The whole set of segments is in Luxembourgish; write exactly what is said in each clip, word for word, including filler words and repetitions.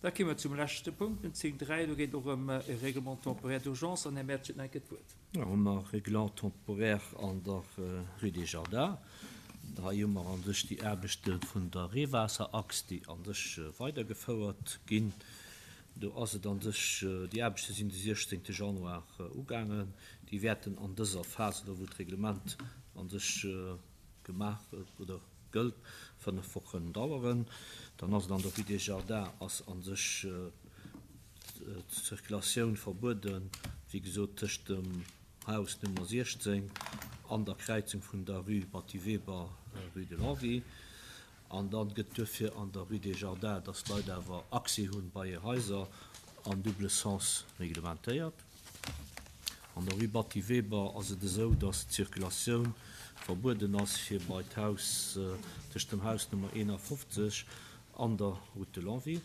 Da kéime mer zum leschte Punkt, den zéng dräi. Do geet et och ëm e Règlement temporaire d'urgence an Här Mertsch huet nach eng Kéier d'Wuert. Da hu mer e Règlement temporaire an der Rue des Jardins. Hei hu mer a sech déi Aarbechte vun der Reewaasserachs, déi a sech weidergefouert ginn. Do ass et a sech, déi Aarbechte sinn de siechzéngte Januar ugaangen. Déi wäerten an dëser Phas, elo wou d'Reglement a sech gemaach oder gëllt, fënnef Wochen daueren. Dann ass et an der Rue des Jardins ass a sech d'Circulatioun verbueden, wéi gesot, tëscht dem Haus Nummer siechzéng an der Kräizung vun der Rue Batty Weber, Rue de Longwy. An dann gëtt duerfir an der Rue des Jardins, dass d'Leit awer Accès hunn bei hir Haiser, am double sens reglementéiert. An der Rue Batty Weber ass et esou, dass d'Circulatioun verbueden ass fir bei d'Haus, tëscht dem Haus Nummer eenafofzeg an der Route de Longwy.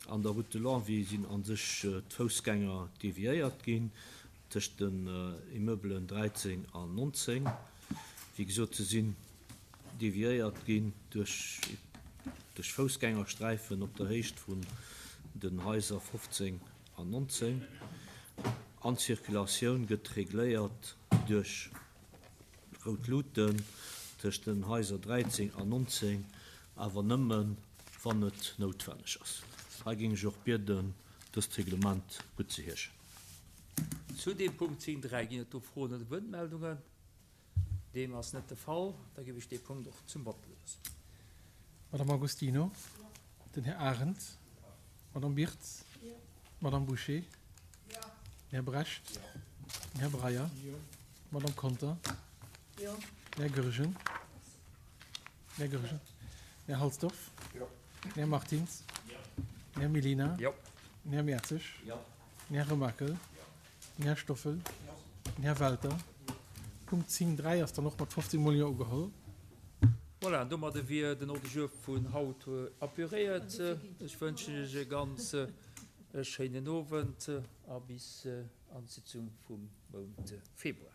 An der Route de Longwy sinn a sech d'Foussgänger deviéiert ginn tëscht den Immeubelen dräizéng an nonzéng. Wéi gesot, se sinn deviéiert ginn duerch duerch Foussgängersträifen op der Héicht vun den Haiser fofzéng an nonzéng. An d'Circulatioun gëtt regléiert duerch rout Luuten tëscht den Haiser dräizéng an nonzéng, awer nëmmen, wann et noutwenneg ass. Hei géing ech och bieden, dëst Reglement guttzeheeschen. Zu deem Punkt zéng dräi ginn et do Froen oder Wuertmeldungen? Deem ass net de Fall. Da géif ech dee Punkt och zum Vott loossen. Madame Agostino, den Här Arendt, d'Madame Birtz, d'Madame Bouché, den Här Brecht, den Här Breyer, d'Madame Conter, den Här Goergen, den Här Goergen, den Här Halsdorf, den Här Martins, den Här Mellina, den Här Mertzig, den Här Remakel, den Här Stoffel, den Här Welter. Punkt zéng dräi ass dann och mat fofzéng mol Jo ugeholl. Voilà, an domadde wier den Ordre du jour vun haut apuréiert. Ech wënschen Iech e ganz schéinen Owend a bis an d'Sitzung vum Mount Februar.